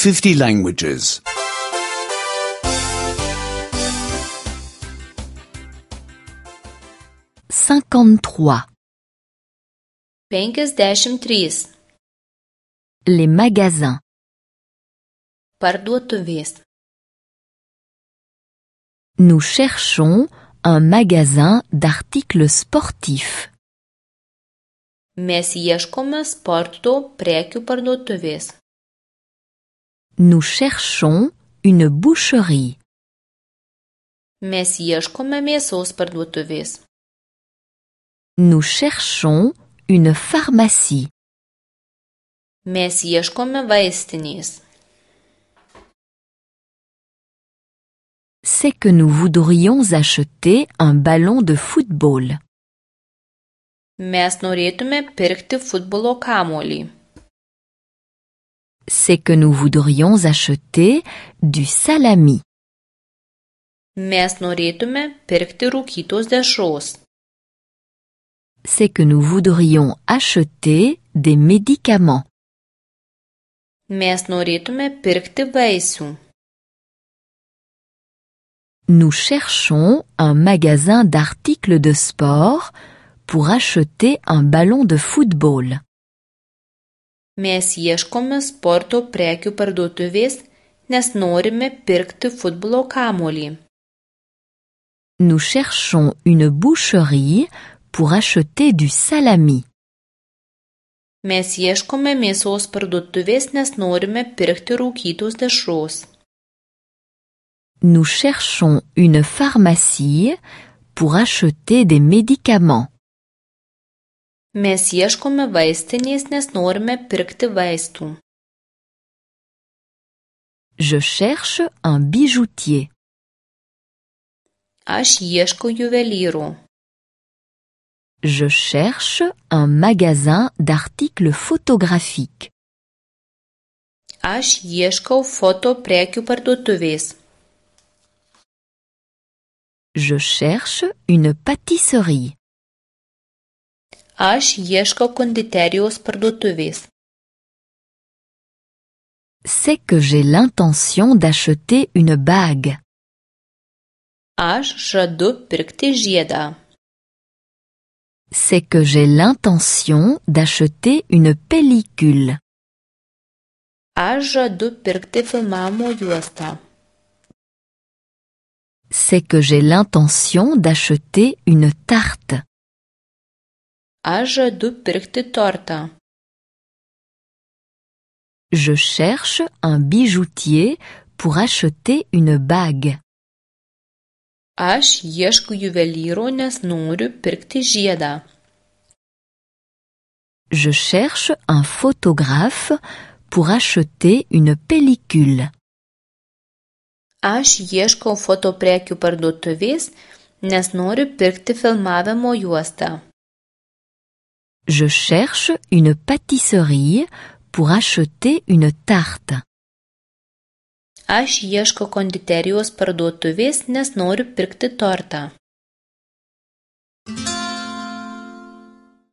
50 languages. 53. 53. Les magasins. Parduotuvės. Nous cherchons un magasin d'articles sportifs. Mes ieškome sporto prekių parduotuvės. Nous cherchons une boucherie. Mes ieškome mėsos parduotuvės. Nous cherchons une pharmacie. Mes ieškome vaistinės. C'est que nous voudrions acheter un ballon de football. Mes norėtume pirkti futbolo kamuolį. C'est que nous voudrions acheter du salami. Mes norėtume pirkti rūkytos dešros. C'est que nous voudrions acheter des médicaments. Mes norėtume pirkti vaisių. Nous cherchons un magasin d'articles de sport pour acheter un ballon de football. Mes ieškome sporto prekių parduotuvės, nes norime pirkti futbolo kamuolį. Nous cherchons une boucherie pour acheter du salami. Mes ieškome mėsos parduotuvės, nes norime pirkti rūkytos dešros. Nous cherchons une pharmacie pour acheter des médicaments. Mes ieškome vaistinės, nes norime pirkti vaistų. Je cherche un bijoutier. Aš ieškau juvelyro. Je cherche un magasin d'articles photographiques. Aš ieškau foto prekių parduotuvės. Je cherche une pâtisserie. Aš ieškau konditerijos parduotuvės. C'est que j'ai l'intention d'acheter une bague. Aš žadu pirkti žiedą. C'est que j'ai l'intention d'acheter une pellicule. Aš žadu pirkti filmavimo juostą. C'est que j'ai l'intention d'acheter une tarte. Aš žadu pirkti tortą. Je cherche un bijoutier pour acheter une bague. Aš ieškau juvelyro, nes noriu pirkti žiedą. Je cherche un photographe pour acheter une pellicule. Aš ieškau foto prekių parduotuvės, nes noriu pirkti filmavimo juostą. Je cherche une pâtisserie pour acheter une tarte. Aš ieškau konditerijos parduotuvės, nes noriu pirkti tortą.